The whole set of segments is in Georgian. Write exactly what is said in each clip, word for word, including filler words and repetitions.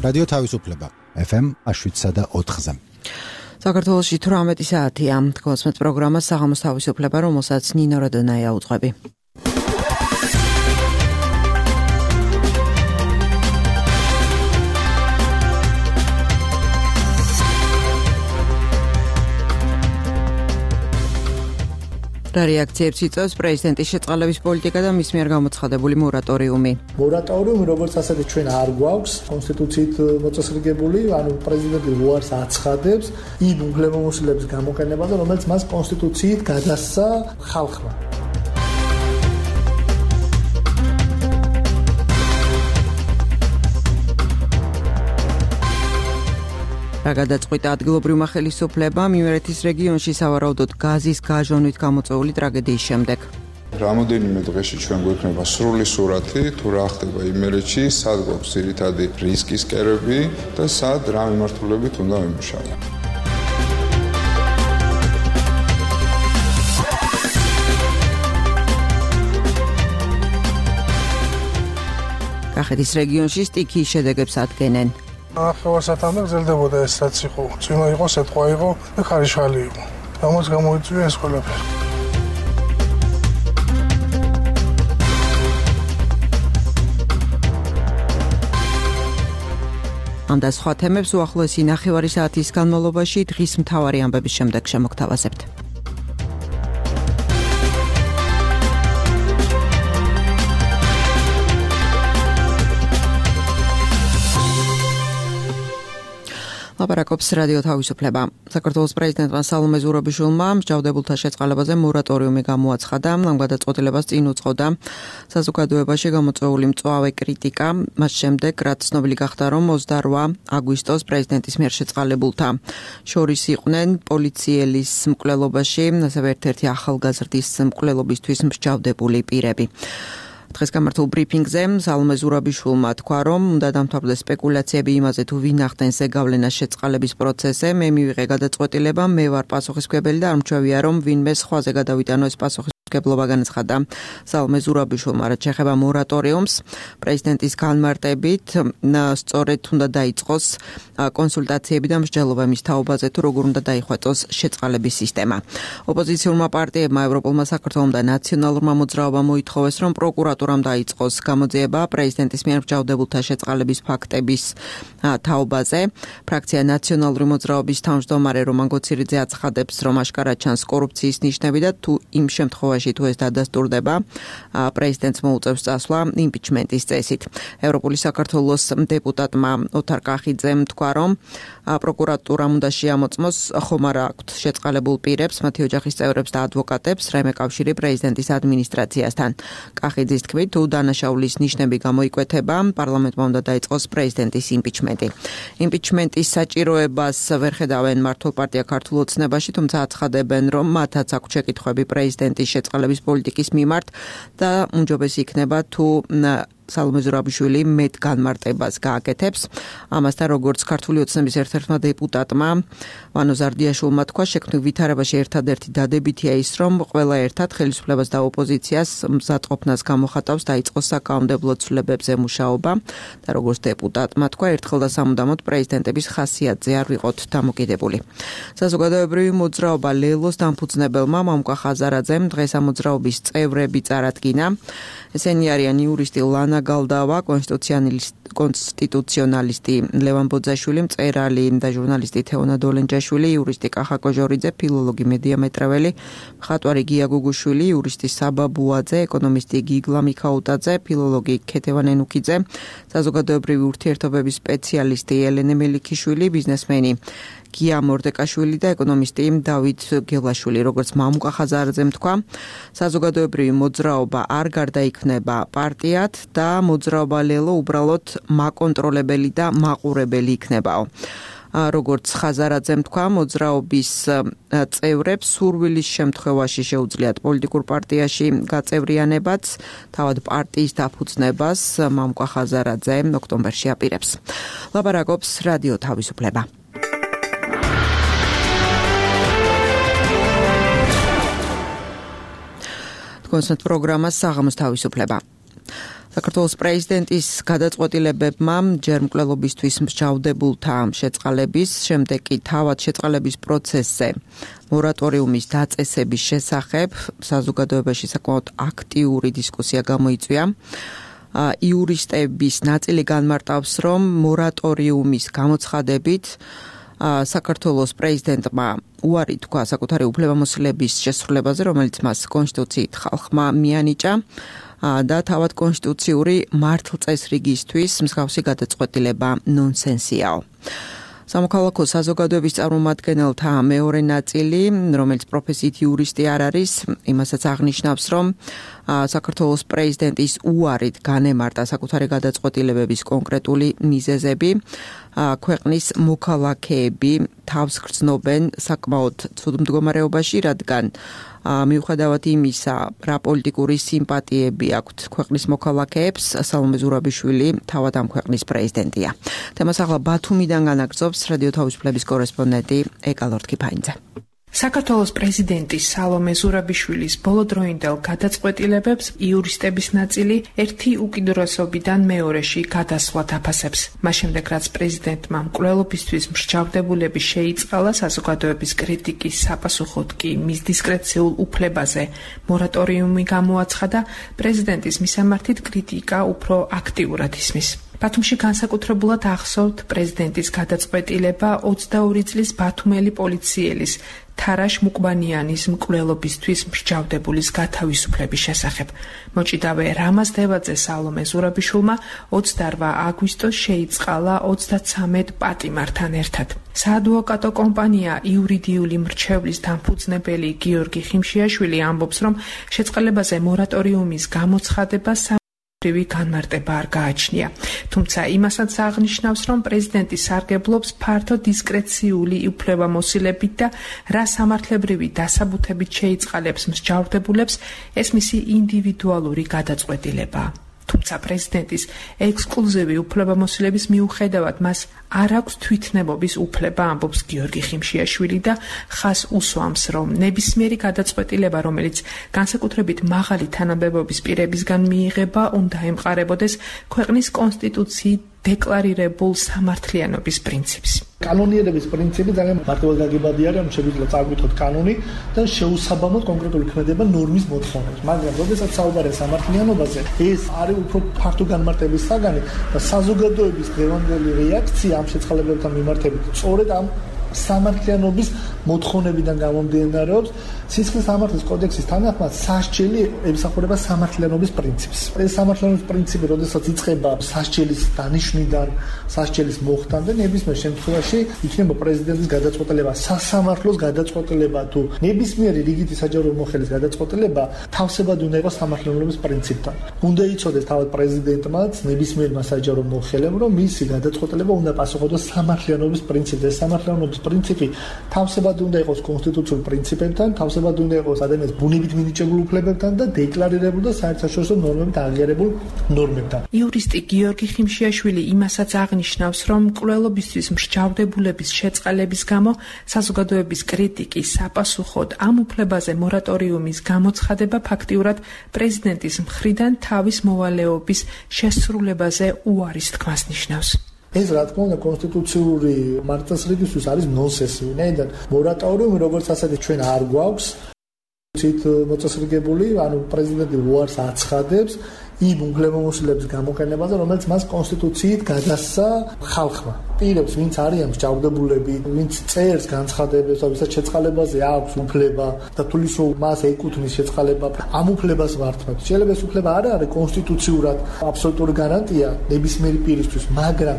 რადიო თავისუფლება ეფ ემ შვიდსა და ოთხზე. საქართველოში თვრამეტი საათია. თქოსმეთ პროგრამას საღამოს თავისუფლება, რომელსაც ნინო როდონაია უძღვები. რა რეაქციებს იწვევს პრეზიდენტის შეწყალების პოლიტიკა და მის მიერ გამოცხადებული მორატორიუმი. მორატორიუმი, როგორც ასეთი ჩვენ არ გვაქვს კონსტიტუციით მოწესრიგებული, ანუ პრეზიდენტი უარს აცხადებს იმ უფლებამოსილების გამოყენებაზე, რომელიც მას კონსტიტუციით გადასცა ხალხმა. რა გადაწყვიტა ადგილობრივმა ხელისუფლებამ იმერეთის რეგიონში სავარაუდოდ გაზის გაჟონვით გამოწვეული ტრაგედიის შემდეგ. რამოდენიმე დღეში ჩვენ გვექნება სრული სურათი, თუ რა ხდება იმერეთში, სად გვაქვს ძირითადი რისკის კერები და სად რა მიმართულებით უნდა ვიმუშაოთ. კახეთის რეგიონში სტიქიის შედეგებს ადგენენ. ახევასათანდა გრძელდებოდა ეს რაც იყო, წვიმა იყო, სეტყვა იყო და ხარიშხალი იყო. ამას გამოიწვია ეს ყველაფერი. ამ და სხვა თემებს უახლოესი ნახევარი საათის განმავლობაში დღის მთავარი ამბების შემდეგ შემოგთავაზებთ. ლაპარაკობს რადიო თავისუფლება. საქართველოს პრეზიდენტმა სალომე ზურაბიშვილმა მსჯავრდებულთა შეწყალებაზე მორატორიუმი გამოაცხადა. ამ გადაწყვეტილებას წინ უძღოდა საზოგადოებაში გამოწვეული მწვავე კრიტიკა, მას შემდეგ, რაც ცნობილი გახდა, რომ ოცდაოთხ აგვისტოს პრეზიდენტის მიერ შეწყალებულთა შორის იყვნენ პოლიციელის მკვლელობაში, ასევე ერთ-ერთი ახალგაზრდის მკვლელობისთვის მსჯავრდებული პირები. დღეს გამართულ ბრიფინგზე სალომე ზურაბიშვილმა თქვა, რომ უნდა დამთავრდეს სპეკულაციები იმაზე, თუ ვინ ახდენს ზეგავლენას შეწყალების პროცესზე. მე მივიღე გადაწყვეტილება, მე ვარ პასუხისმგებელი და არ მჩვევია, რომ ვინმე სხვაზე გადავიტანო ეს პასუხისმგებლობა, განაცხადა სალომე ზურაბიშვილმა. რაც შეეხება მორატორიუმს, პრეზიდენტის განმარტებით, სწორედ უნდა დაიწყოს კონსულტაციები და მსჯელობა მის თაობაზე, თუ როგორ უნდა დაიხვეწოს შეწყალების სისტემა. ოპოზიციურმა პარტიებმა, ევროპულმა საქართველომ და ნაციონალურმა მოძრაობამ მოითხოვეს, რომ პროკურატურამ დაიწყოს გამოძიება პრეზიდენტის მიერ მსჯავრდებულთა შეწყალების ფაქტების თაობაზე. ფრაქცია ნაციონალური მოძრაობის თავმჯდომარე რომან გოცირიძე აცხადებს, რომ აშკარად ჩანს კორუფციის ნიშნები და თუ იმ შემთხვევაში თუ ეს დადასტურდება, პრეზიდენტს მოუწევს წასვლა იმპიჩმენტის წესით. ევროპული საქართველოს დეპუტატმა ოთარ კახიძემ თქვა, რომ პროკურატურამ უნდა შეამოწმოს ხომ არა აქვთ შეწყალებულ პირებს, მათი ოჯახის წევრებს და ადვოკატებს, რაიმე კავშირი პრეზიდენტის ადმინისტრაციასთან. კახიძის თქმით, თუ დანაშაულის ნიშნები გამოიკვეთება, პარლამენტმა უნდა დაიწყოს პრეზიდენტის იმპიჩმენტი. იმპიჩმენტის საჭიროებას ვერ ხედავენ მართლ პარტია ქართულ ოცნებაში, თუმცა აცხადებენ, რომ მათაც აქვთ შეკითხვები პრეზიდენტის შეწყალების პოლიტიკის მიმართ და უმჯობესი იქნება თუ სალომე ზურაბიშვილი მეტ განმარტებას გააკეთებს. ამასთან, როგორც ქართული ოცნების ერთ-ერთმა დეპუტატმა ვანო ზარდიაშვილმა თქვა, შექმნილ ვითარებაში ერთადერთი დადებითია ის, რომ ყველა ერთად ხელისუფლებას და ოპოზიციას მზადყოფნას გამოხატავს დაიწყოს საკანონმდებლო ცვლილებებზე მუშაობა და როგორც დეპუტატმა თქვა, ერთხელ და სამუდამოდ პრეზიდენტების ხასიათზე არ ვიყოთ დამოკიდებული. საზოგადოებრივი მოძრაობა ლელოს დამფუძნებელმა მამუკა ხაზარაძემ დღეს ამ მოძრაობის წევრები წარადგინა. ესენი არიან იურისტი ლანა გალდავა, კონსტიტუციონალისტი ლევან ბოძაშვილი, მწერალი და ჟურნალისტი თეონა დოლენჯაშვილი, იურისტი კახა კოჟორიძე, ფილოლოგი მედია მეტრეველი, მხატვარი გია გუგუშვილი, იურისტი საბა ბუაძე, ეკონომისტი გიგლა მიქაუტაძე, ფილოლოგი ქეთევან ენუქიძე, საზოგადოებრივი ურთიერთობების სპეციალისტი ელენე მელიქიშვილი, ბიზნესმენი გია მორდეკაშვილი და ეკონომისტი დავით გელაშვილი. როგორც მამუკა ხაზარაძემ თქვა, საზოგადოებრივი მოძრაობა არ გარდაიქმნება პარტიად და მოძრაობა ლელო უბრალოდ მაკონტროლებელი და მაყურებელი იქნებაო. როგორც ხაზარაძემ თქვა, მოძრაობის წევრებს სურვილის შემთხვევაში შეუძლიათ პოლიტიკურ პარტიაში გაწევრიანებაც, თავად პარტიის დაფუძნებას მამუკა ხაზარაძე ოქტომბერში აპირებს. ლაპარაკობს რადიო თავისუფლება. კონსერტ პროგრამას საღამოს თავისუფლება. საქართველოს პრეზიდენტის გადაწყვეტილებებმა ჯერ მკვლელობისთვის მსჯავრდებულთა შეწყალების, შემდეგ კი თავად შეწყალების პროცესზე მორატორიუმის დაწესების შესახებ საზოგადოებაში საკმაოდ აქტიური დისკუსია გამოიწვია. იურისტების ნაწილი განმარტავს, რომ მორატორიუმის გამოცხადებით საქართველოს პრეზიდენტმა უარი თქვა საკუთარი უფლებამოსილების შესრულებაზე, რომელიც მას კონსტიტუციით ხალხმა მიანიჭა და თავად კონსტიტუციური მართლწესრიგისთვის მსგავსი გადაწყვეტილება ნონსენსიაო. სამოქალაქო საზოგადოების წარმომადგენელთა მეორე ნაწილი, რომელიც პროფესიით იურისტი არ არის, იმასაც აღნიშნავს, რომ საქართველოს პრეზიდენტის უარით განემარტა საკუთარი გადაწყვეტილებების კონკრეტული მიზეზები, ქვეყნის მოქალაქეები თავს გრძნობენ საკმაოდ ცუდ მდგომარეობაში, რადგან მიუხედავად იმისა, რა პოლიტიკური სიმპათიები აქვთ ქვეყნის მოქალაქეებს, სალომე ზურაბიშვილი თავად ამ ქვეყნის პრეზიდენტია. თემას ახლა ბათუმიდან განაგრძობს რადიო თავისუფლების კორესპონდენტი ეკა ლორთქიფაინძე. საქართველოს პრეზიდენტის სალომე ზურაბიშვილის ბოლოდროინდელ გადაწყვეტილებებს იურისტების ნაწილი ერთი უკიდურესობიდან მეორეში გადასვლად აფასებს. მას შემდეგ, რაც პრეზიდენტმა მკვლელობისთვის მსჯავრდებულები შეიწყალა, საზოგადოების კრიტიკის საპასუხოდ კი მის დისკრეციულ უფლებაზე მორატორიუმი გამოაცხადა, პრეზიდენტის მისამართით კრიტიკა უფრო აქტიურად ისმის. ბათუმში განსაკუთრებულად ახსოვთ პრეზიდენტის გადაწყვეტილება ოცდაორი წლის ბათუმელი პოლიციელის თარაშ მუკბანიანის მკვლელობისთვის მსჯავრდებულის გათავისუფლების შესახებ. მოჭიდავე რამაზ დევაძე სალომე ზურაბიშვილმა ოცდაორმა აგვისტოს შეიწყალა ოცდაცამეტ პატიმართან ერთად. საადვოკატო კომპანია იურიდიული მრჩევლის დამფუძნებელი გიორგი ხიმშიაშვილი ამბობს, რომ შეწყალებაზე მორატორიუმის გამოცხადებარივი განმარტება არ გააჩნია. თუმცა იმასაც აღნიშნავს, რომ პრეზიდენტი სარგებლობს ფართო დისკრეციული უფლებამოსილებით და რა სამართლებრივი დასაბუთებით შეიწყალებს მსჯავრდებულებს, ეს მისი ინდივიდუალური გადაწყვეტილებაა. თუმცა პრეზიდენტის ექსკლუზივი უფლებამოსილების მიუხედავად მას არ აქვს თვითნებობის უფლება, ამბობს გიორგი ხიმშიაშვილი და ხას უსვამს, რომ ნებისმიერი გადაწყვეტილება, რომელიც განსაკუთრებით მაღალი თანამდებობის პირებისგან მიიღება, უნდა ემყარებოდეს ქვეყნის კონსტიტუციით დეკლარირებულ სამართლიანობის პრინციპს. კანონიერების პრინციპი ძალიან მარტივად გაგებადი არის, რომ შეგვიძლია წავკითხოთ კანონი და შეუსაბამოდ კონკრეტული ქმედება ნორმის მოთხოვნებს. მაგრამ როდესაც საუბარია სამართლიანობაზე, ეს არის უფრო ფართო განმარტების საგანი და საზოგადოების დღევანდელი რეაქცია ამ შეწყალებებთან მიმართებით სწორედ ამ სამართლიანობის მოთხოვნებიდან გამომდინარეობს. სისხლის სამართლის კოდექსის თანახმად სასჯელი ემსახურება სამართლიანობის პრინციპს. ეს სამართლიანობის პრინციპი, როდესაც იწყება სასჯელის დანიშვნიდან, სასჯელის მოხდამდე, ნებისმიერ შემთხვევაში იქნება პრეზიდენტის გადაწყვეტილება, სასამართლოს გადაწყვეტილება თუ ნებისმიერი რიგითი საჯარო მოხელის გადაწყვეტილება თავსებად უნდა იყოს სამართლიანობის პრინციპთან. უნდა იცოდეს თავად პრეზიდენტმაც ნებისმიერმა საჯარო მოხელემ, რომ მისი გადაწყვეტილება უნდა პასუხობდეს სამართლიანობის პრინციპზე. ეს სამართლიანობის პრინციპი თავსებად უნდა იყოს კონსტიტუციური პრინციპებთან, თავსებად უნდა იყოს ადამიანის ბუნებით მინიჭებულ უფლებებთან და დეკლარირებულ და საერთაშორისო ნორმებით აღიარებულ ნორმებთან. იურისტი გიორგი ხიმშიაშვილი იმასაც აღნიშნავს, რომ მკვლელობისთვის მსჯავრდებულების შეწყალების გამო საზოგადოების კრიტიკის საპასუხოდ ამ უფლებაზე მორატორიუმის გამოცხადება ფაქტიურად პრეზიდენტის მხრიდან თავის მოვალეობის შესრულებაზე უარის თქმას ნიშნავს. ეს რა თქმა უნდა კონსტიტუციური მართლწესრიგისთვის არის ნონსენსი. ვინაიდან მორატორიუმი როგორც ასეთი ჩვენ არ გვაქვს ცით მოწესრიგებული, ანუ პრეზიდენტი უარს აცხადებს იმ უფლებამოსილების გამოყენებაზე, რომელიც მას კონსტიტუციით გადასცა ხალხმა. პირებს, ვინც არიან მსჯავრდებულები, ვინც წერს განცხადებებს, ვისაც შეწყალებაზე აქვს უფლება და თulis რომ მას ეკუთვნის შეწყალება, ამ უფლებას ვართმევს. შეიძლება ეს უფლება არ არის კონსტიტუციურად აბსოლუტური გარანტია ნებისმიერი პირისთვის, მაგრამ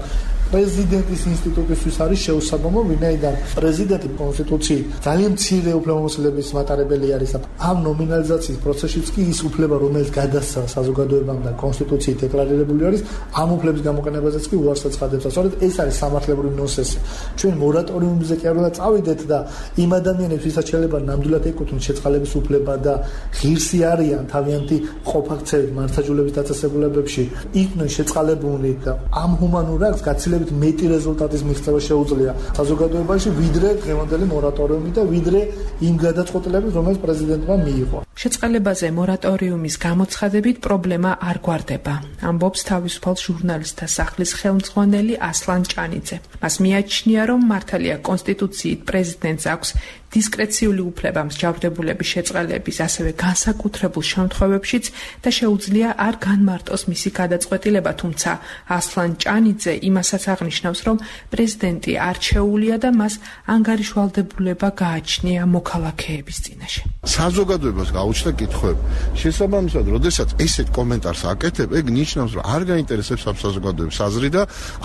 პრეზიდენტის ინსტიტუტისთვის არის შეუსაბამო, ვინაიდან პრეზიდენტი კონსტიტუციით ძალიან მცირე უფლებამოსილების მატარებელი არის და ამ ნომინალიზაციის პროცესშიც კი ის უფლება, რომელიც გადასცა საზოგადოებამ და კონსტიტუციით დეკლარირებული არის, ამ უფლების გამოყენებაზეც კი უარს აცხადებს. სწორედ ეს არის სამართლებრივი ნონსენსი. ჩვენ მორატორიუმზე კი არ უნდა წავიდეთ და იმ ადამიანებს, ვისაც შეიძლება ნამდვილად ეკუთვნით შეწყალების უფლება და ღირსი არიან თავიანთი ყოფაქცევით მართლმსაჯულების დაწესებულებებში, იყვნენ შეწყალებულნი და ამ ჰუმანურ აქტს გაცილებით შედარებით მეტი რეზულტატის მიღწევა შეუძლია საზოგადოებაში, ვიდრე დღევანდელი მორატორიუმი და ვიდრე იმ გადაწყვეტილებით, რომელიც პრეზიდენტმა მიიღო. შეწყალებაზე მორატორიუმის გამოცხადებით პრობლემა არ გვარდება, ამბობს თავისუფალ ჟურნალისტთა სახლის ხელმძღვანელი ასლან ჭანიძე. მას მიაჩნია, რომ მართალია კონსტიტუციით პრეზიდენტს აქვს დისკრეციული უფლება მსჯავრდებულების შეწყალების, ასევე განსაკუთრებულ შემთხვევებშიც და შეუძლია არ განმარტოს მისი გადაწყვეტილება, თუმცა ასლან ჭანიძე იმასაც აღნიშნავს, რომ პრეზიდენტი არჩეულია და მას ანგარიშვალდებულება გააჩნია მოქალაქეების წინაშე. საზოგადოებას გაუჩნდა კითხვები. შესაბამისად, როდესაც ესეთ კომენტარს აკეთებ, ეგ ნიშნავს, რომ არ გაინტერესებს ამ საზოგადოების აზრი და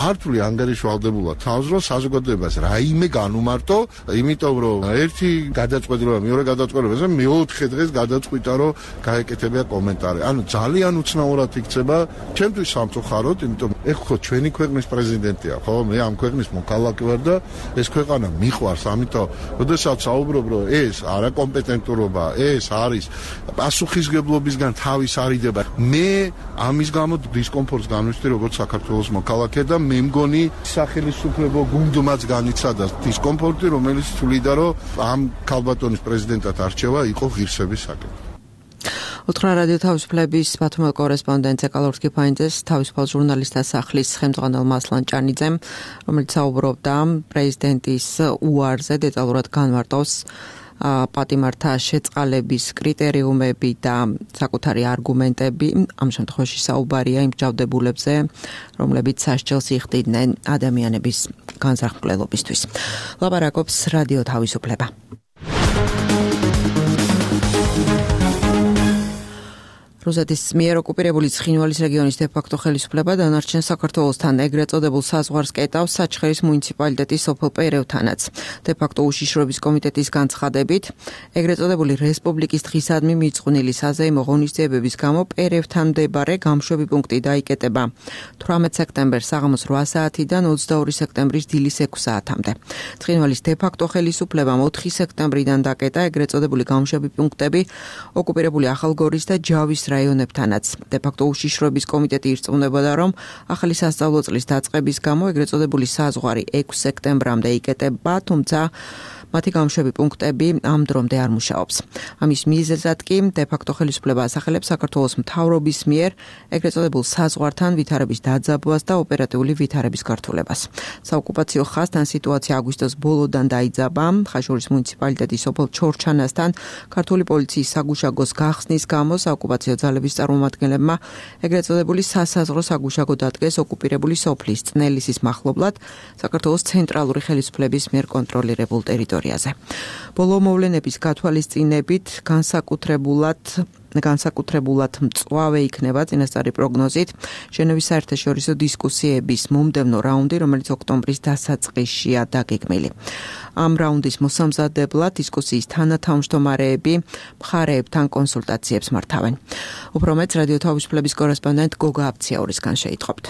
არ თვლი ანგარიშვალდებულად თავს, რომ საზოგადოებას რაიმე განუმარტო, იმიტომ რომ ერთი გადაწყვეტილება, მეორე გადაწყვეტილება, მეოთხე დღეს გადაწყვიტა, რომ გაეკეთებია კომენტარი. ანუ ძალიან უცნაურად იქცება, ჩემთვის სამწუხაროდ, იმიტომ ეხ ხო ჩვენი ქვეყნის პრეზიდენტია, ხო? მე ამ ქვეყნის მოქალაქე ვარ და ეს ქვეყანა მიყვარს, ამიტომ როდესაც საუბრობ, რომ ეს არაკომპეტენტურობა, ეს არის პასუხისგებლობისგან თავის არიდება. მე ამის გამო დისკომფორტს განვიხდი როგორც საქართველოს მოქალაქე და მე მგონი სახელმწიფო გუნდმაც განიცადა დისკომფორტი, რომელიც თვლიდა, რომ ამ ქალბატონის პრეზიდენტად არჩევა იყო ღირსების საკითხი. უთხრა რადიო თავისუფლების ბათუმელ კორესპონდენტ ეკალორ კიფაინძეს თავისუფალ ჟურნალისტთა სახლის ხელმძღვანელმა ასლან ჭანიძემ, რომელიც საუბრობდა პრეზიდენტის უარზე, დეტალურად განმარტავს პატიმართა შეწყალების კრიტერიუმები და საკუთარი არგუმენტები. ამ შემთხვევაში საუბარია იმ ჯავდებულებზე, რომლებიც სასჯელს იხდიდნენ ადამიანების განზრახმკვლელობისთვის. ლაპარაკობს რადიო თავისუფლება. რუსეთის მიერ ოკუპირებული ცხინვალის რეგიონის დე-ფაქტო ხელისუფლება დანარჩენ საქართველოსთან ეგრეთ წოდებულ საზღვარს კეტავს საჩხერის მუნიციპალიტეტის სოფელ პერევთანაც. დე-ფაქტო უშიშროების კომიტეტის განცხადებით, ეგრეთ წოდებული რესპუბლიკის დღისადმი მიწყვნილი საზეიმო ღონისძიებების გამო პერევთან მდებარე გამშვები პუნქტი დაიკეტება თვრამეტ სექტემბერს საღამოს რვა საათიდან ოცდაორი სექტემბრის დილის ექვსი საათამდე. ცხინვალის დე-ფაქტო ხელისუფლებამ ოთხი სექტემბრიდან დაკეტა ეგრეთ წოდებული გამშვები პუნქტები ოკუპირებული ახალგორის და ჯავის რაიონებთანაც. დე-ფაქტო უშიშროების კომიტეტი ირწმუნებოდა, რომ ახალი სასწავლო წლის დაწყების გამო ეგრეთ წოდებული საზღვარი ექვსი სექტემბრამდე იკეტება, თუმცა მათი გამშვები პუნქტები ამ დრომდე არ მუშაობს. ამის მიზეზად კი დე-ფაქტო ხელისუფლება ასახელებს საქართველოს მთავრობის მიერ ეგრეთ წოდებულ საზღვართან ვითარების დაძაბვას და ოპერატიული ვითარების გართულებას. საოკუპაციო ხაზთან სიტუაცია აგვისტოს ბოლოდან დაიძაბა. ხაშურის მუნიციპალიტეტის სოფელ ჩორჩანასთან ქართული პოლიციის საგუშაგოს გახსნის გამო საოკუპაციო ძალების წარმომადგენლებმა ეგრეთ წოდებული სასაზღვრო საგუშაგო დადგეს ოკუპირებული სოფლის წნელისის მახლობლად საქართველოს ცენტრალური ხელისუფლების მიერ კონტროლირებულ ტერიტორიაზე. ბოლო მოვლენების გათვალისწინებით განსაკუთრებულად განსაკუთრებულად მწვავე იქნება წინასწარი პროგნოზით ჟენევის საერთაშორისო დისკუსიების მომდევნო რაუნდი, რომელიც ოქტომბრის დასაწყისშია დაგეგმილი. ამ რაუნდის მოსამზადებლად დისკუსიის თანათავმჯდომარეები მხარეებთან კონსულტაციებს მართავენ. უფრო მეც რადიო თავისუფლების კორესპონდენტ გოგა აბციაურისგან შეიტყობთ.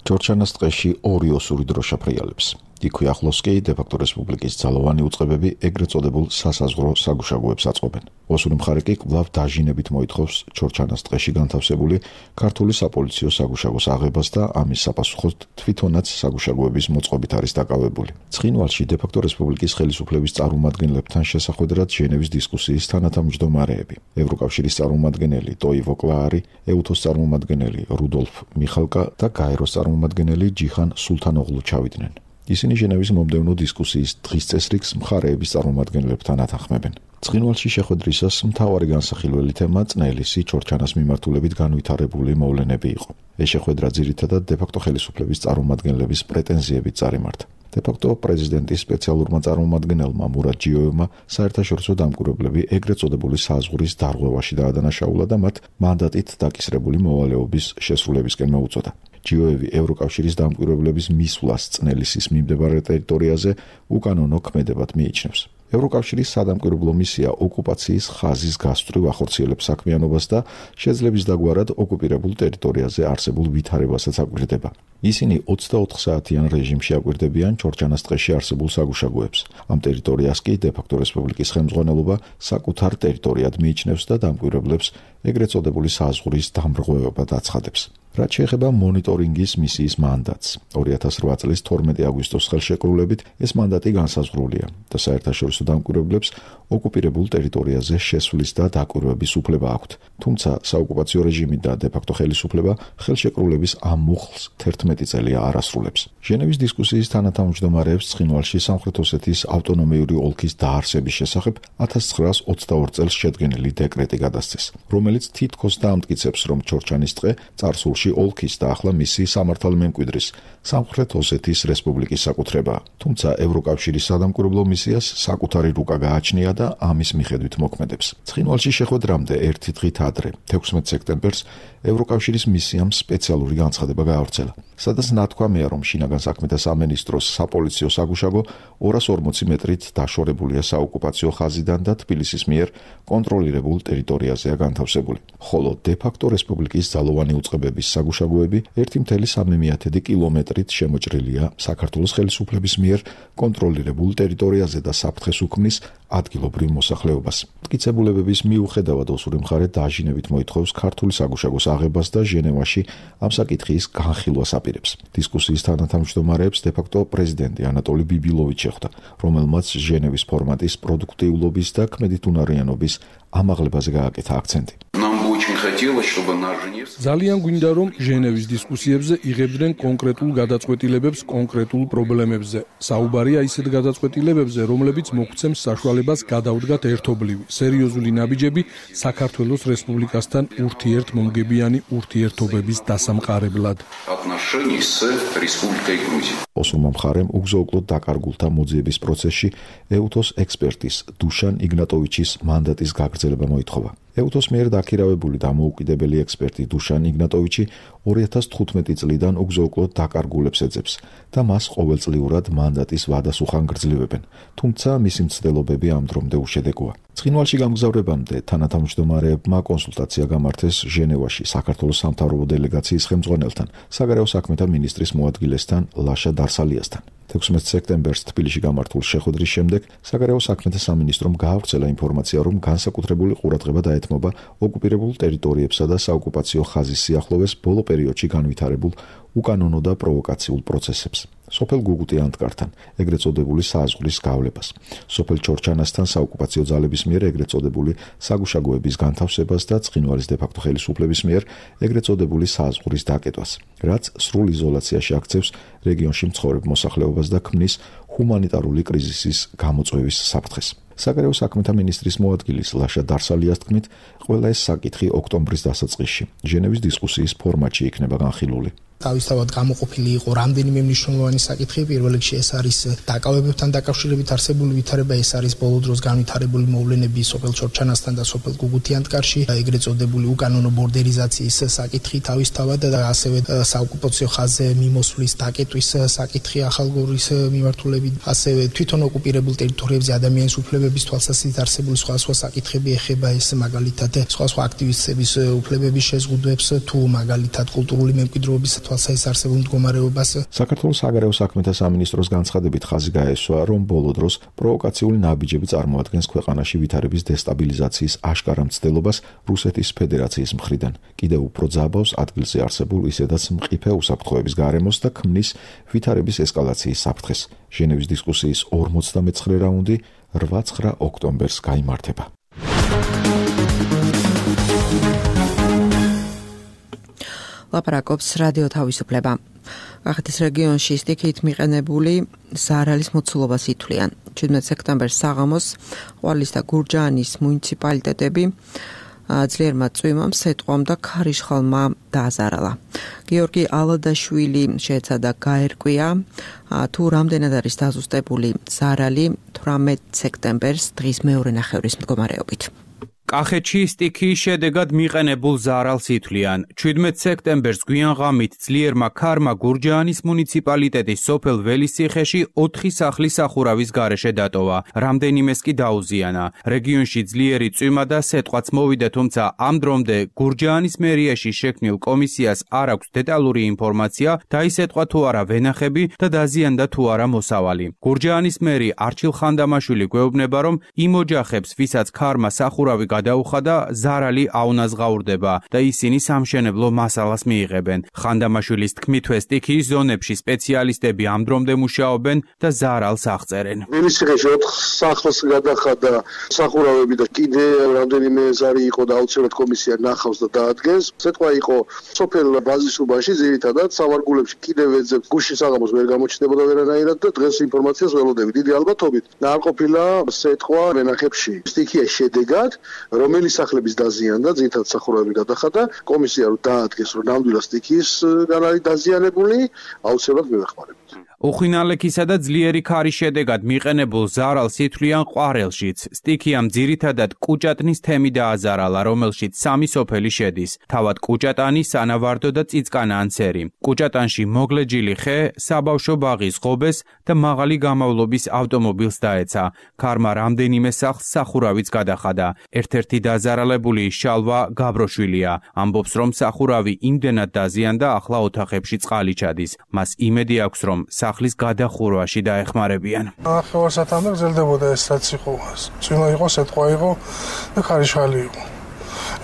ჩორჩანას ტყეში ორი ოსური დროშა ფრიალებს. იქვე ახლოს კი დე-ფაქტო რესპუბლიკის ძალოვანი უწყებები ეგრეთ წოდებულ სასაზღვრო საგუშაგოებს აწყობენ. ოსური მხარე კი კვლავ დაჟინებით მოითხოვს ჩორჩანას ტყეში განთავსებული ქართული საპოლიციო საგუშაგოს აღებას და ამის საპასუხოდ თვითონაც საგუშაგოების მოწყობით არის დაკავებული. ცხინვალში დე-ფაქტო რესპუბლიკის ხელისუფლების წარმომადგენლებთან შესახვედრად ჟენევის დისკუსიის თანათავმჯდომარეები, ევროკავშირის წარმომადგენელი ტოივო კლაარი, ეუთოს წარმომადგენელი რუდოლფ მიხალკა და გაეროს წარმომადგენელი ჯიხან სულთანოღლუ ჩავიდნენ. ისინი ჟენევის მომდევნო დისკუსიის დღის წესრიგს მხარეების წარმომადგენლებთან ათანხმებენ. ცხინვალში შეხვედრისას მთავარი განსახილველი თემა წნელისი ჩორჩანას მიმართულებით განვითარებული მოვლენები იყო. ეს შეხვედრა ძირითადად დე-ფაქტო ხელისუფლების წარმომადგენლების პრეტენზიებით წარიმართა. დე-ფაქტო პრეზიდენტის სპეციალურმა წარმომადგენელმა მურად ჯიოევმა საერთაშორისო დამკვირვებლები ეგრეთ წოდებული საზღვრის დარღვევაში დაადანაშაულა და მათ მანდატით დაკისრებული მოვალეობის შესრულებისკენ მოუწოდა. ჯიოევი ევროკავშირის დამკვირვებლების მისვლას წნელისის მიმდებარე ტერიტორიაზე უკანონო ქმედებად მიიჩნევს. ევროკავშირის სადამკვირვებლო მისია ოკუპაციის ხაზის გასწვრივ ახორციელებს საქმიანობას და შეძლების დაგვარად ოკუპირებულ ტერიტორიაზე არსებულ ვითარებასაც აკვირდება. ისინი ოცდაოთხ საათიან რეჟიმში აკვირდებიან ჩორჩანას ტყეში არსებულ საგუშაგოებს. ამ ტერიტორიას კი დე-ფაქტო რესპუბლიკის ხელმძღვანელობა საკუთარ ტერიტორიად მიიჩნევს და დამკვირვებლებს ეგრეთ წოდებული საზღვრის დამრღვევება დაცხადებს. რაც შეეხება მონიტორინგის მისიის მანდატს, ორი ათას რვა წლის თორმეტი აგვისტოს ხელშეკრულებით ეს მანდატი განსაზღვრულია და საერთაშორისო დამკვირვებლებს ოკუპირებულ ტერიტორიაზე შესვლის და დაკვირვების უფლება აქვთ. თუმცა საოკუპაციო რეჟიმი და დე-ფაქტო ხელისუფლება ხელშეკრულების ამ მუხლს თერთმეტი წელია არ ასრულებს. ჟენევის დისკუსიის თანათავმჯდომარეებს ცხინვალში სამხრეთ ოსეთის ავტონომიური ოლქის დაარსების შესახებ ათას ცხრაას ოცდაორ წელს შედგენილი დეკრეტი გადასცეს, რომელიც თითქოს დაამტკიცებს, რომ ჩორჩანის ტყე წარსულში ოლქის და ახლა მისი სამართალმემკვიდრის სამხრეთ ოსეთის რესპუბლიკის საკუთრებაა. თუმცა ევროკავშირის სადამკვირვებლო მისიას საკუთარი რუკა გააჩნია და ამის მიხედვით მოქმედებს. ცხინვალში შეხვედრამდე ერთი დღით ადრე, თექვსმეტ სექტემბერს, ევროკავშირის მისიამ სპეციალური განცხადება გაავრცელა, სადაც ნათქვამია, რომ შინაგან საქმეთა სამინისტროს საპოლიციო საგუშაგო ორას ორმოცი მეტრით დაშორებულია საოკუპაციო ხაზიდან და თბილისის მიერ კონტროლირებულ ტერიტორიაზეა განთავსებული, ხოლო დე-ფაქტო რესპუბლიკის ძალოვანი უწყებების საგუშაგოები ერთი მთელი სამი მიათედი კილომეტრით შემოჭრილია საქართველოს ხელისუფლების მიერ კონტროლირებულ ტერიტორიაზე და საფრთხეს უქმნის ადგილობრივ მოსახლეობას. მტკიცებულებების მიუხედავად ოსური მხარე დაჟინებით მოითხოვს ქართული საგუშაგოს აღებას და ჟენევაში ამ საკითხის განხილვას აპირებს. დისკუსიის თანათავმჯდომარეებს დე-ფაქტო პრეზიდენტი ანატოლი ბიბილოვიჩი შეხვდა, რომელმაც ჟენევის ფორმატის პროდუქტიულობის და ქმედითუნარიანობის ამაღლებაზე გააკეთა აქცენტი. ძალიან გვინდა, რომ ჟენევის დისკუსიებზე იღებდნენ კონკრეტულ გადაწყვეტილებებს კონკრეტულ პრობლემებზე. საუბარია ისეთ გადაწყვეტილებებზე, რომლებიც მოგვცემს საშუალებას გადავდგათ ერთობლივი, სერიოზული ნაბიჯები საქართველოს რესპუბლიკასთან ურთიერთმომგებიანი ურთიერთობების დასამყარებლად. ოსურმა მხარემ უგზო-უკლოდ დაკარგულთა მოძიების პროცესში ეუთოს ექსპერტის დუშან იგნატოვიჩის მანდატის გაგრძელება მოითხოვა. ეუთოს მიერ დაქირავებული დამოუკიდებელი ექსპერტი დუშან იგნატოვიჩი ორი ათას თხუთმეტი წლიდან უგზო-უკლოდ დაკარგულებს ეძებს და მას ყოველწლიურად მანდატის ვადას უხანგრძლივებენ, თუმცა მისი მცდელობები ამ დრომდე უშედეგოა. ცხინვალში გამგზავრებამდე თანათავმჯდომარეებმა კონსულტაცია გამართეს ჟენევაში საქართველოს სამთავრობო დელეგაციის ხელმძღვანელთან, საგარეო საქმეთა მინისტრის მოადგილესთან ლაშა დარსალიასთან. თექვსმეტ სექტემბერს თბილისში გამართულ შეხვედრის შემდეგ საგარეო საქმეთა სამინისტრომ გაავრცელა ინფორმაცია, რომ განსაკუთრებული ყურადღება დაეთმობა ოკუპირებულ ტერიტორიებსა და საოკუპაციო ხაზის სიახლოვეს ბოლო პერიოდში განვითარებულ უკანონო და პროვოკაციულ პროცესებს. სოფელ გუგუტი ანტკართან, ეგრეთ წოდებული საზღვრის გავლებას, სოფელ ჩორჩანასთან საოკუპაციო ძალების მიერ ეგრეთ წოდებული საგუშაგოების განთავსებას და ცხინვალის დე-ფაქტო ხელისუფლების მიერ ეგრეთ წოდებული საზღვრის დაკეტვას, რაც სრულ იზოლაციაში აქცევს რეგიონში მცხოვრებ მოსახლეობას და ქმნის ჰუმანიტარული კრიზისის გამოწვევის საფრთხეს. საგარეო საქმეთა მინისტრის მოადგილის ლაშა დარსალიას თქმით, ყველა ეს საკითხი ოქტომბრის დასაწყისში ჟენევის დისკუსიის ფორმატში იქნება განხილული. თავისთავად გამოყოფილი იყო რამდენიმე მნიშვნელოვანი საკითხი. პირველ რიგში ეს არის დაკავებებთან დაკავშირებით არსებული ვითარება, ეს არის ბოლო დროს განვითარებული მოვლენები სოფელ ჩორჩანასთან და სოფელ გუგუთიანტკარში, ეგრეთ წოდებული უკანონო ბორდერიზაციის საკითხი თავისთავად და ასევე საოკუპაციო ხაზზე მიმოსვლის დაკეტვის საკითხი ახალგორის მიმართულებით, ასევე თვითონ ოკუპირებულ ტერიტორიებზე ადამიანის უფლებების თვალსაზრისით არსებული სხვა სხვა საკითხები ეხება ეს მაგალითად სხვა სხვა აქტივისტების უფლებების შეზღუდვებს თუ მაგალითად კულტურული მემკვიდრეობის თვალსაზრისით არსებულ მდგომარეობას. საქართველოს საგარეო საქმეთა სამინისტროს განცხადებით ხაზი გაესვა, რომ ბოლო დროს პროვოკაციული ნაბიჯები წარმოადგენს ქვეყანაში ვითარების დესტაბილიზაციის აშკარა მცდელობას რუსეთის ფედერაციის მხრიდან. კიდევ უფრო ძაბავს ადგილზე არსებულ ისედაც მყიფე უსაფრთხოების გარემოს და ქმნის ვითარების ესკალაციის საფრთხეს. ჟენევის დისკუსიის ორმოცდამეცხრე რაუნდი რვა ცხრა ოქტომბერს გაიმართება. ლაპარაკობს რადიო თავისუფლება. კახეთის რეგიონში სტიქით მიყენებული ზარალის მოცულობას ითვლიან. შვიდმეტ სექტემბერს საღამოს ყვარლის და გურჯაანის მუნიციპალიტეტები ძლიერმა წვიმამ, სეტყვამ და ქარიშხალმა დააზარალა. გიორგი ალადაშვილი შეეცადა გაერკვია, თუ რამდენად არის დაზუსტებული ზარალი თვრამეტ სექტემბერს დღის მეორე ნახევრის მდგომარეობით. კახეთში სტიქიის შედეგად მიყენებულ ზარალს ითვლიან. შვიდმეტ სექტემბერს გვიანღამით ძლიერმა ქარმა გურჯაანის მუნიციპალიტეტის სოფელ ველისციხეში ოთხი სახლის სახურავის გარეშე დატოვა. რამდენიმეს კი დაუზიანა. რეგიონში ძლიერი წვიმა და სეტყვაც მოვიდა, თუმცა ამ დრომდე გურჯაანის მერიაში შექმნილ კომისიას არ აქვს დეტალური ინფორმაცია, დაისეტყვა თუ არა ვენახები და დაზიანდა თუ არა მოსავალი. გურჯაანის მერი არჩილ ხანდამაშვილი გვეუბნება, რომ იმ ოჯახებს, ვისაც ქარმა სახურავი გადაუხადა, ზარალი აუნაზღაურდება და ისინი სამშენებლო მასალას მიიღებენ. ხანდამაშვილის თქმითვე სტიქიის ზონებში სპეციალისტები ამ დრომდე მუშაობენ და ზარალს აღწერენ. ველისიხეში ოთხ სახლს გადახადა სახურავები და კიდე რამდენიმე ზარი იყო და აუცილებლად კომისია ნახავს და დაადგენს. სიტყვა იყო სოფელ ბაზისობაში ძირითადად სავარგულებში კიდევ ეძებ გუშინ საღამოს ვერ გამოჩნდებოდა ვერანაირად და დღეს ინფორმაციას ველოდები. დიდი ალბათობით არ ყოფილა სიტყვა ვენახებში. სტიქია შედეგად რომელი სახლების დაზიანდა, ძირითადად სახურავები გადახადა, კომისია რომ დაადგეს რომ ნამდვილად სტიქიის გან არის დაზიანებული, აუცილებლად მივეხმარებთ. უხინალექისა და ძლიერი ქარის შედეგად მიყენებულ ზარალს ითვლიან ყვარელშიც. სტიქიამ ძირითადად კუჭატნის თემი დააზარალა, რომელშიც სამი სოფელი შედის. თავად კუჭატანი, სანავარდო და წიწკანაანცერი. კუჭატანში მოგლეჯილი ხე, საბავშვო ბაღის ღობეს და მაღალი გამავლობის ავტომობილს დაეცა. ქარმა რამდენიმე სახლს სახურავიც გადახადა. ერთ-ერთი დაზარალებული შალვა გაბროშვილია. ამბობს, რომ სახურავი იმდენად დაზიანდა, ახლა ოთახებში წყალი ჩადის. მას იმედი აქვს, რომ სახლის გადახურვაში დაეხმარებიან. ნახევარსათამდე გრძელდებოდა ეს რაც იყო. წვიმა იყო, სეტყვა იყო და ქარიშხალი იყო.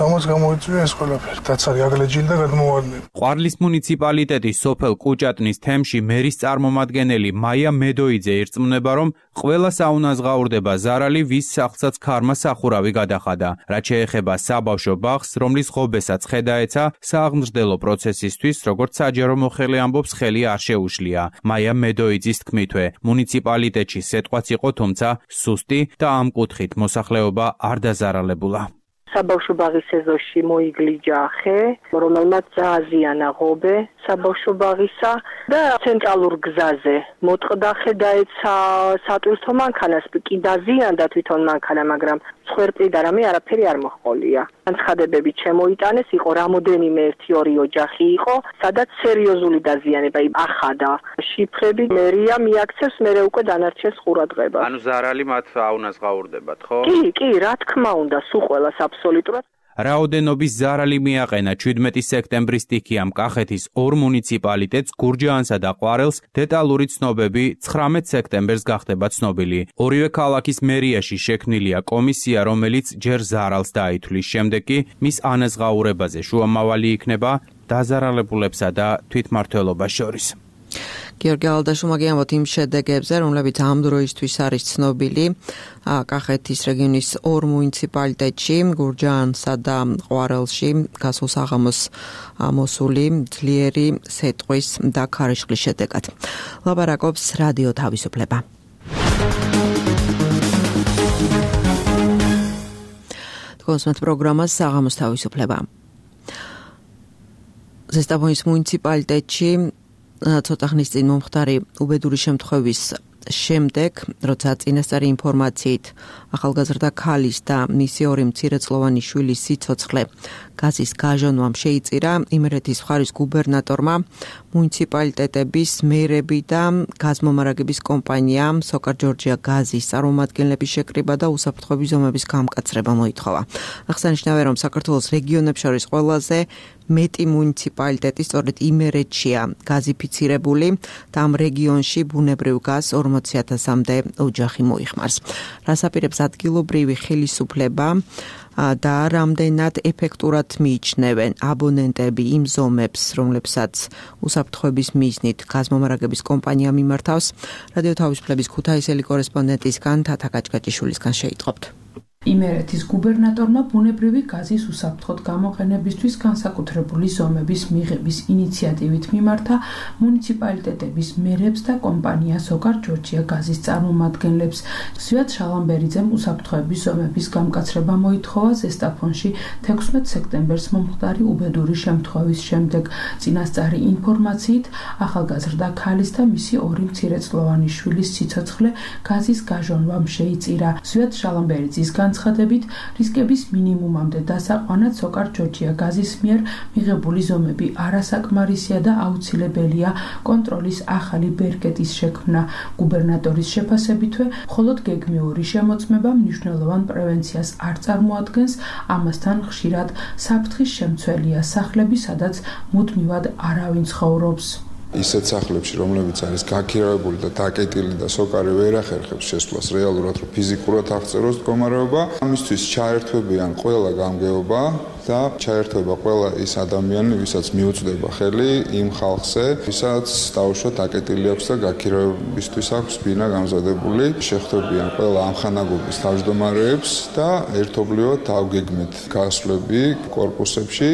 ამას გამოიწვია ეს ყველაფერი. დაცარი აგლეჯილი და გადმოვარდნილი. ყვარლის მუნიციპალიტეტის სოფელ კუჭატნის თემში მერის წარმომადგენელი მაია მედოიძე ირწმუნება, რომ ყველა საუნაზღაურდება ზარალი, ვის სახლსაც ქარმა სახურავი გადახადა. რაც შეეხება საბავშვო ბაღს, რომლის ღობესაც ხე დაეცა, სააღმრთელო პროცესისთვის, როგორც საჯარო მოხელე ამბობს, ხელი არ შეუშლია. მაია მედოიძის თქმითვე, მუნიციპალიტეტში სეტყვაც იყო, თუმცა სუსტი და ამ კუთხით მოსახლეობა არ დაზარალებულა. საბავშვო ბაღის ეზოში მოიგლიჯა ხე, რომელმაც დააზიანა ღობე საბავშვო ბაღისა და ცენტრალურ გზაზე მოტყდა ხე დაეცა სატვირთო მანქანას, კი დაზიანდა თვითონ მანქანა, მაგრამ ცხვერპლი და რამე არაფერი არ მოჰყოლია. განცხადებები შემოიტანეს, იყო რამოდენიმე ერთი ორი ოჯახი იყო, სადაც სერიოზული დაზიანება ახადა. შიფრები მერია მიაქცევს, მერე უკვე დანარჩენს ყურადღებას. ანუ ზარალი მათ აუნაზღაურდებათ, ხო? კი, კი, რა თქმა უნდა, სულ ყველას აბსოლუტურად. რაოდენობის ზარალი მიაყენა ჩვიდმეტი სექტემბრის სტიქიამ კახეთის ორ მუნიციპალიტეტს, გურჯაანსა და ყვარელს. დეტალური ცნობები ცხრამეტ სექტემბერს გახდება ცნობილი. ორივე ქალაქის მერიაში შექმნილია კომისია, რომელიც ჯერ ზარალს დაითვლის, შემდეგ კი მის ანაზღაურებაზე შუამავალი იქნება დაზარალებულებსა და თვითმმართველობას შორის. გიორგი ალდაშუმა გიამბობთ იმ შედეგებზე, რომლებიც ამ დროისთვის არის ცნობილი კახეთის რეგიონის ორ მუნიციპალიტეტში, გურჯაანსა და ყვარელში გასულ საღამოს მოსული ძლიერი სეტყვის და ქარიშხლის შედეგად. ლაპარაკობს რადიო თავისუფლება. თქვენს პროგრამას საღამოს თავისუფლება. ზესტაფონის მუნიციპალიტეტში ცოტა ხნის წინ მომხდარი უბედური შემთხვევის შემდეგ, როცა წინასწარი ინფორმაციით ახალგაზრდა ქალის და მისი ორი მცირეწლოვანი შვილის სიცოცხლე გაზის გაჟონვამ შეიწირა, იმერეთის მხარის გუბერნატორმა მუნიციპალიტეტების მერები და გაზმომარაგების კომპანია სოკარ ჯორჯია გაზის წარმომადგენლების შეკრიბა და უსაფრთხოების ზომების გამკაცრება მოითხოვა. აღსანიშნავია, რომ საქართველოს რეგიონებს შორის ყველაზე მეტი მუნიციპალიტეტი სწორედ იმერეთშია გაზიფიცირებული და ამ რეგიონში ბუნებრივ გაზს ორმოცი ათასამდე ოჯახი მოიხმარს. რას აპირებს ადგილობრივი ხელისუფლება და რამდენად ეფექტურად მიიჩნევენ აბონენტები იმ ზომებს, რომლებსაც უსაფრთხოების მიზნით გაზმომარაგების კომპანია მიმართავს, რადიო თავისუფლების ქუთაისელი კორესპონდენტისგან თათა გაჭგაჭიშვილისგან შეიტყობთ. იმერეთის გუბერნატორმა ბუნებრივი გაზის უსაფრთხოდ გამოყენებისთვის განსაკუთრებული ზომების მიღების ინიციატივით მიმართა მუნიციპალიტეტების მერებს და კომპანია სოკარ ჯორჯია გაზის წარმომადგენლებს. ზვიად შალამბერიძემ უსაფრთხოების ზომების გამკაცრება მოითხოვა ზესტაფონში თექვსმეტ სექტემბერს მომხდარი უბედური შემთხვევის შემდეგ. წინასწარი ინფორმაციით ახალგაზრდა ქალის და მისი ორი მცირეწლოვანი შვილის სიცოცხლე გაზის გაჟონვამ შეიწირა. ზვიად შალამბერიძის განცხადებით, რისკების მინიმუმამდე დასაყვანად სოკარ ჯორჯია გაზის მიერ მიღებული ზომები არასაკმარისია და აუცილებელია კონტროლის ახალი ბერკეტის შექმნა. გუბერნატორის შეფასებითვე, მხოლოდ გეგმიური შემოწმება მნიშვნელოვან პრევენციას არ წარმოადგენს, ამასთან ხშირად საფრთხის შემცველია სახლები, სადაც მუდმივად არავინ ცხოვრობს. ისეთ სახლებში, რომლებიც არის გაქირავებული და დაკეტილი და სოკარი ვერ ახერხებს შესვლას რეალურად, რომ ფიზიკურად აღწეროს მდგომარეობა, ამისთვის ჩაერთვებიან ყველა გამგეობა და ჩაერთვება ყველა ის ადამიანი, ვისაც მიუწვდება ხელი იმ ხალხზე, ვისაც დაუშვათ აკეტილი აქვს და გაქირავებისთვის აქვს ბინა გამზადებული, შეხვდებიან ყველა ამხანაგობის თავმჯდომარეებს და ერთობლივად დავგეგმეთ გასვლები კორპუსებში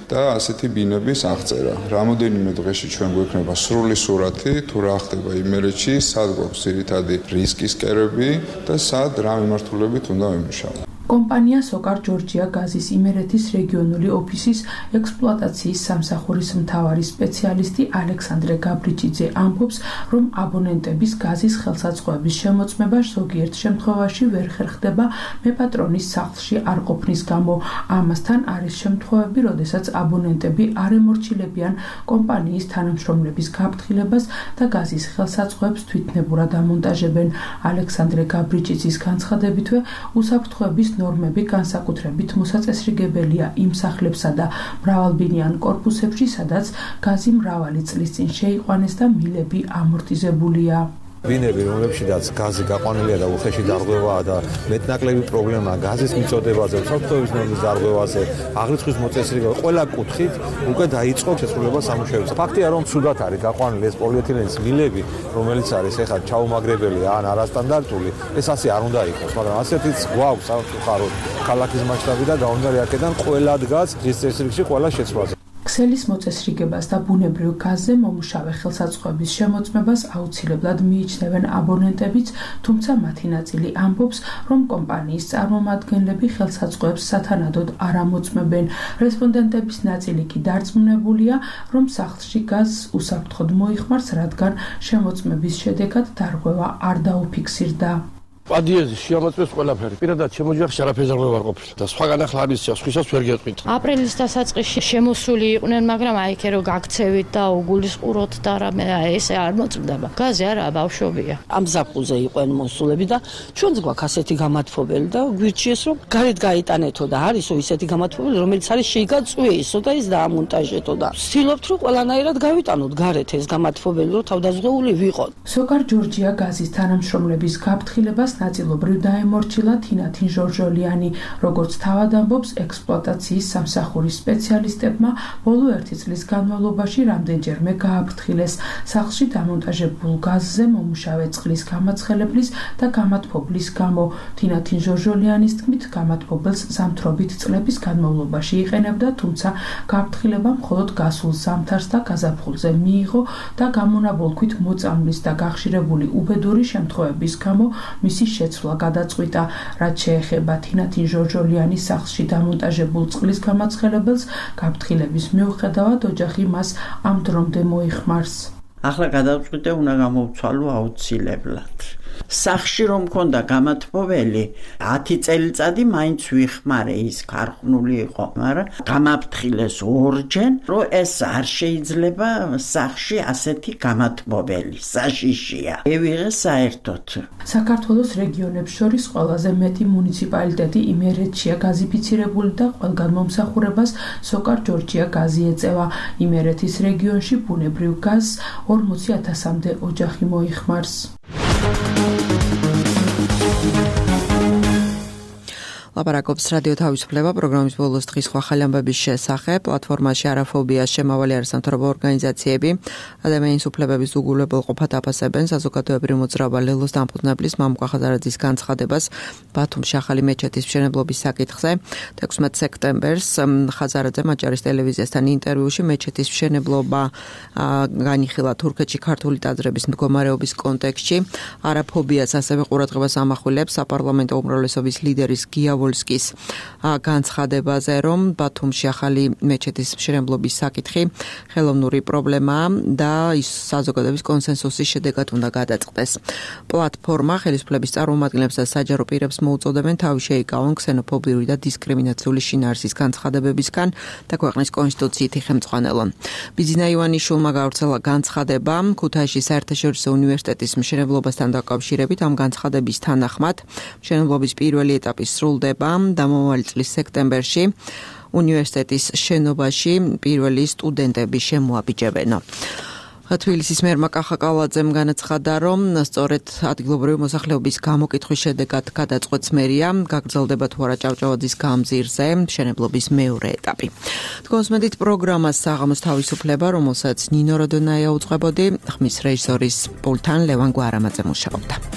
და ასეთი ბინების აღწერა. რამოდენიმე დღეში ჩვენ გვექნება სრული სურათი, თუ რა ხდება იმერეთში, სად გვაქვს ძირითადი რისკის კერები და სად რა მიმართულებით უნდა ვიმუშაოთ. კომპანია სოკარ ჯორჯია გაზის იმერეთის რეგიონული ოფისის ექსპლუატაციის სამსახურის მთავარი სპეციალისტი ალექსანდრე გაბრიჭიძე ამბობს, რომ აბონენტების გაზის ხელსაწყოების შემოწმება ზოგიერთ შემთხვევაში ვერ ხერხდება მეპატრონის სახლში არ ყოფნის გამო. ამასთან არის შემთხვევები, როდესაც აბონენტები არ ემორჩილებიან კომპანიის თანამშრომლების გაფრთხილებას და გაზის ხელსაწყოებს თვითნებურად ამონტაჟებენ. ალექსანდრე გაბრიჭიძის განცხადებითვე უსაფრთხოების ნორმები განსაკუთრებით მოსაწესრიგებელია იმ სახლებსა და მრავალბინიან კორპუსებში, სადაც გაზი მრავალი წლის წინ შეიყვანეს და მილები ამორტიზებულია. ბინები, რომლებშიც გაზი გაყვანილია და უხეში დარღვევაა და მეტნაკლები პრობლემაა გაზის მიწოდებაზე, საფრთხეების ნორმის დარღვევაზე, აღრიცხვის მოწესრიგება, ყველა კუთხით უკვე დაიწყო შესრულება სამუშაოებს. ფაქტია, რომ ცუდად არის გაყვანილი ეს პოლიეთილენის მილები, რომელიც არის ეხლა ჩაუმაგრებელი ან არასტანდარტული, ეს ასე არ უნდა იყოს, მაგრამ ასეთიც გვაქვს სამწუხაროდ ქალაქის მასშტაბი და გაუნდარი აქედან ყველა დგას დღის წესრიგში ყველა შეცვლაზე. ქსელის მოწესრიგებას და ბუნებრივ გაზზე მომუშავე ხელსაწყოების შემოწმებას აუცილებლად მიიჩნევენ აბონენტებიც, თუმცა მათი ნაწილი ამბობს, რომ კომპანიის წარმომადგენლები ხელსაწყოებს სათანადოდ არ ამოწმებენ. რესპონდენტების ნაწილი კი დარწმუნებულია, რომ სახლში გაზს უსაფრთხოდ მოიხმარს, რადგან შემოწმების შედეგად დარღვევა არ დაუფიქსირდა. პადიეზი შეამოწმეს ყველაფერი. პირადად შემოჯახში არაფერს არ ყოფილა და სხვა განახლების სხვისას ვერ გეტყვით. აპრილის დასაწყისში შემოსული იყვნენ, მაგრამ აი ეგ რომ გაქცევით და უგულისყუროთ და რამე ესე არ მოწმდება. გაზი არა, ბავშვობია. ამ ზაფხულზე იყვნენ მოსულები და ჩვენც გვაქვს ასეთი გამათბობელი და გვირჩიეს რომ გარეთ გაიტანეთო და არისო ისეთი გამათბობელი, რომელიც არის შეიგაწვიესო და ის დაამონტაჟეთო და ვცდილობთ რომ ყველანაირად გავიტანოთ გარეთ ეს გამათბობელი, რომ თავდაზღვეული ვიყოთ. სოკარ ჯორჯია გაზის თანამშრომლების გაფრთხილებას ნაწილობრივ დაემორჩილა თინათინ ჟორჟოლიანი, როგორც თავად ამბობს ექსპლუატაციის სამსახურის სპეციალისტებმა, ბოლო ერთი წლის განმავლობაში რამდენჯერმე გააფრთხილეს სახლში დამონტაჟებულ გაზზე მომუშავე წყლის გამაცხელებლის და გამათბობლის გამო. თინათინ ჟორჟოლიანის თქმით, გამათბობელს ზამთრობით წლების განმავლობაში იყენებდა, თუმცა გაფრთხილება მხოლოდ გასულ ზამთარს და გაზაფხულზე მიიღო და გამონაბოლქვით მოწამვლის და გახშირებული უბედური შემთხვევების გამო მისი შეცვლა გადაწყვიტა. რაც შეეხება თინათინ ჟორჟოლიანის სახლში დამონტაჟებულ წყლის გამაცხელებელს, გაფრთხილების მიუხედავად ოჯახი მას ამ დრომდე მოიხმარს. ახლა გადაწყვიტე უნდა გამოვცვალო აუცილებლად. სახში რომ მქონდა გამათბობელი, ათი წელიწადი მაინც ვიხმარე, ის ქარხნული იყო, მაგრამ გამაფრთხილეს ორჯერ, რომ ეს არ შეიძლება სახში ასეთი გამათბობელი, საშიშია. ევიღე საერთოდ. საქართველოს რეგიონებს შორის ყველაზე მეტი მუნიციპალიტეტი იმერეთშია გაზიფიცირებული და ყველგან მომსახურებას სოკარ ჯორჯია გაზი ეწევა. იმერეთის რეგიონში ბუნებრივ გაზს ორმოცი ათასამდე ოჯახი მოიხმარს. ლაპარაკობს რადიო თავისუფლება პროგრამის ბოლოს დღის სხვა ხალხი ამბების შესახებ. პლატფორმაში არაფობიას შემავალი არასამთავრობო ორგანიზაციები ადამიანის უფლებების უგულებელყოფა დაფასებენ საზოგადოებრივ მოძრაობა ლელოს დამფუძნებლის მამუკა ხაზარაძის განცხადებას ბათუმში ახალი მეჩეთის მშენებლობის საკითხზე. თექვსმეტ სექტემბერს ხაზარაძე მაჭარის ტელევიზიასთან ინტერვიუში მეჩეთის მშენებლობა განიხილა თურქეთში ქართული ტაძრების მდგომარეობის კონტექსტში. არაფობიას ასევე ყურადღებას ამახვილებს საპარლამენტო უმრავლესობის ლიდერის გიავ ვოლსკის განცხადებაზე, რომ ბათუმში ახალი მეჩეთის მშენებლობის საკითხი ხელოვნური პრობლემაა და ის საზოგადოების კონსენსუსის შედეგად უნდა გადაწყდეს. პლატფორმა ხელისუფლების წარმომადგენლებს და საჯარო პირებს მოუწოდებენ თავი შეიკავონ ქსენოფობიური და დისკრიმინაციული შინაარსის განცხადებებისგან და ქვეყნის კონსტიტუციით იხემწყვალონ. ბიძინა ივანიშვილმა გავრცელა განცხადება ქუთაისში საერთაშორისო უნივერსიტეტის მშენებლობასთან დაკავშირებით. ამ განცხადების თანახმად მშენებლობის პირველი ეტაპი სრულდება და მომავალი წლის სექტემბერში უნივერსიტეტის შენობაში პირველი სტუდენტები შემოაბიჯებენ. თბილისის მერმა კახაკალაძემ განაცხადა, რომ სწორედ ადგილობრივი მოსახლეობის გამოკითხვის შედეგად გადაწყვეტს მერია, გაგრძელდება თუ არა ჭავჭავაძის გამზირზე მშენებლობის მეორე ეტაპი. თქვენს მედით პროგრამას საღამოს თავისუფლება, რომელსაც ნინო როდონაია უწყებოდი, ხმის რეჟისორის პულთან ლევან გვარამაძე მუშაობდა.